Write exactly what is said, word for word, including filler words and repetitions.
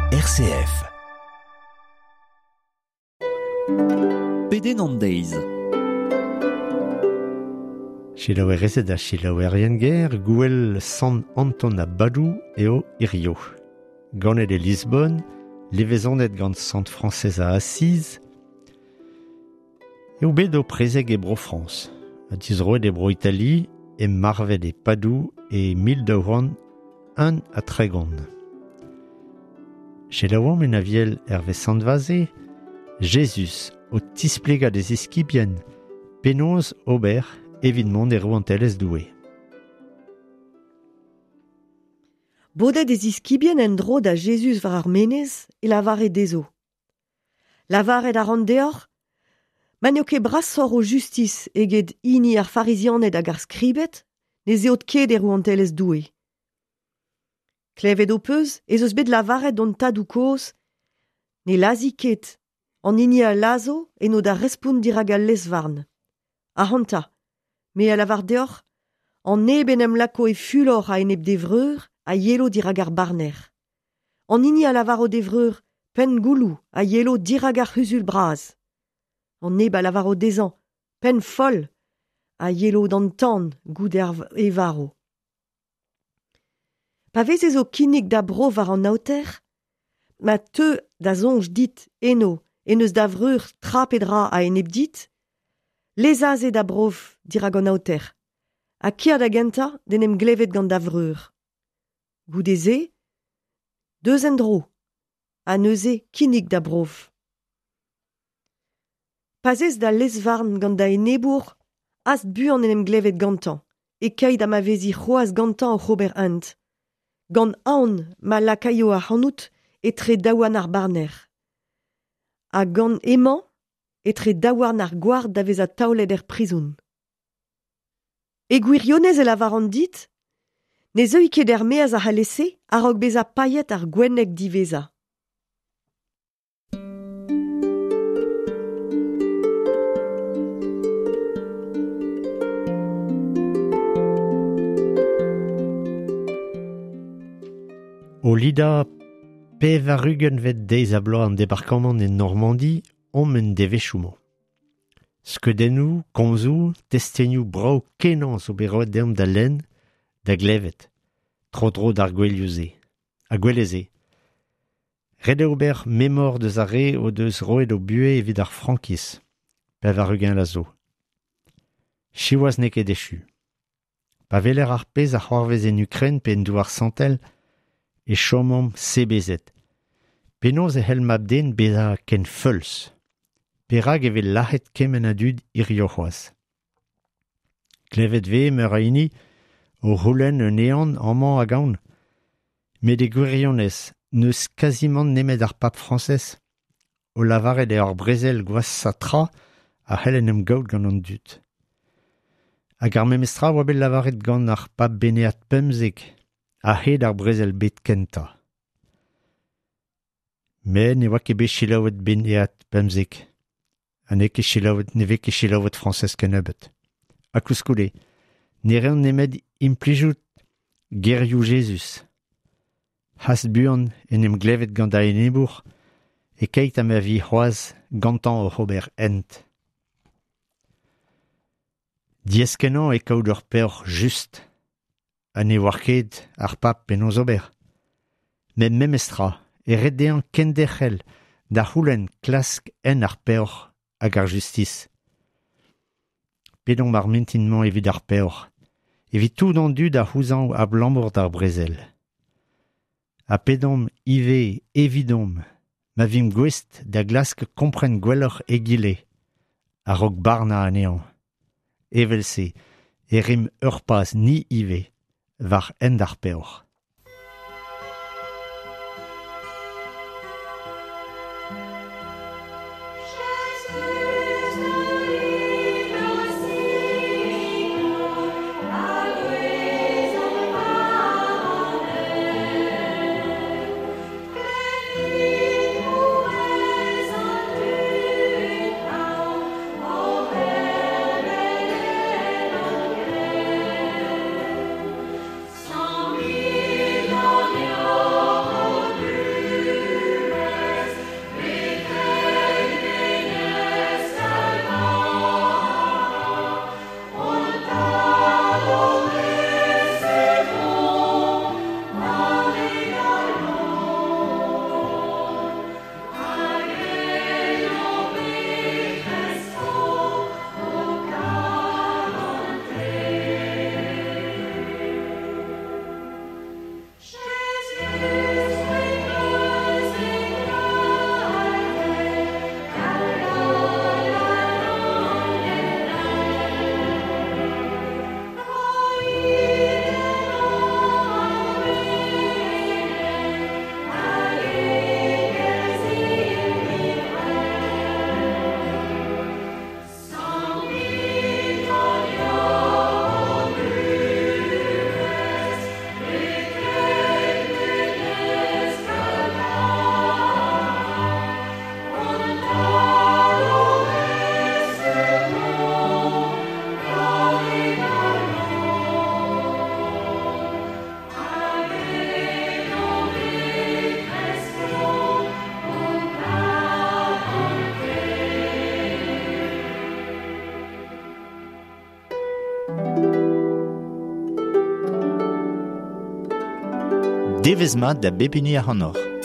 R C F. Pedenn an deiz. Selaouerezed ha selaouerien ger, gouel Sant Anton a Badou eo hirio. Ganet e Lisbonne, levezonet gant Sant Frañsez a Asiz, eo bet o prezeg e Bro-Frañs, ha dizroet e Bro-Itali, e marvet e Padou e mil daou c'hant un ha tregont. Selaouomp en aviel Hervé Sant-Vaze, Jezuz o tisplega d'e ziskibien penaos ober evit mont e rouantelezh Doue. Bodet e ziskibien en-dro da Jezuz war ar menez e lavare dezho. Lavaret a ran deoc'h, ma n'eo ket brasoc'h o justis eget hini ar farizianed hag ar skribed, ne zeot ket e rouantelezh Doue. Klevet ho peus ez eus bet lavaret d'hon tadoù kozh, ne lazi ket, an hini a lazo eno da respont dirak al lez-varn. Ac'hanta, me a lavar deoc'h, an neb en em lako e fulor a-enep d'e vreur a yelo dirak ar barner. An hini a lavaro d'e vreur, penn gouloù a yelo dirak ar c'huzul bras. An neb a lavaro dezhañ, penn foll, a yelo d'an tan goude ar e varo. Pa vezez o kinnig da bro war an aoter, ma teu da soñj dit eno en eus da vreur tra pe dra a-enep dit, lez aze da brof dirak an aoter, ha kia da gentañ d'en em glevet gant da vreur. Goude-se, deus en-dro, ha neuze kinnig da brof. Pa zez da lez-varn gant da enebour, hast buan en em glevet gantañ, e keit ha ma vezi c'hoazh gantañ oc'h ober hent. Gant aon ma lakaio ac'hanout etre daouarn ar barner. Ha gant emañ etre daouarn ar gward da vezañ taolet er prizon. E gwirionez e lavaran dit, ne zeui ket er-maez ac'halese a-raok bezañ paeet ar gwenneg diwezhañ. O lidañ pevar-ugentvet deiz a bloaz an debarkamant en Normandi omp en devezhioù-mañ. Skeudennoù, komzoù, testenioù brav kenañ zo bet roet deomp da lenn, da glevet, tro-dro d'ar gouelioù-se, ha gwele-se. Ret eo ober memor deus ar re o deus roet o buhez evit ar frankiz, pevar-ugent a zo. Siwazh n'eo ket echu. Pa weler ar pezh a c'hoarvez en Ukraine pe en douar santel, e chomomp sebezet. Penaos e c'hell mab-den bezañ ken feuls. Perak e vez lac'het kement a dud hirio c'hoazh. Klevet vez meur a hini o c'houlenn un ehan amañ hag ahont. Met e gwirionez n'eus kazimant nemet ar pab Frañsez o lavaret eo ar brezel gwashañ tra a c'hell en em gaout gant an dud. Hag ar memestra oa bet lavaret gant ar pab Benead pemzek a-hed ar brezel bet kentañ. Met ne oa ket bet selaouet Benead pemzek, ha n'eo ket selaouet, ne vez ket selaouet Frañsez kennebeut. Ha koulskoude, ne reont nemet implijout gerioù Jezuz. Hast buan en em glevet gant da enebour, e keit ha ma vi c'hoazh gantañ oc'h ober hent. Diaes-kenañ e kaout ur peoc'h just, ha ne oar ket ar pab penaos ober. Met memestra, e ret dezhañ kenderc'hel da c'houlenn klask en ar peoc'h hag ar justis. Pedomp ar mintin-mañ evit ar peoc'h, evit tout an dud a c'houzañv abalamour d'ar brezel. Ha pedomp ivez evidomp, ma vimp gouest da glask kompren gwelloc'h egile, a-raok barnañ anezhañ. Evel-se, e rimp ur paz ni ivez, war hent ar peoc'h. Sans Devezh mat da bep hini ac'hanoc'h.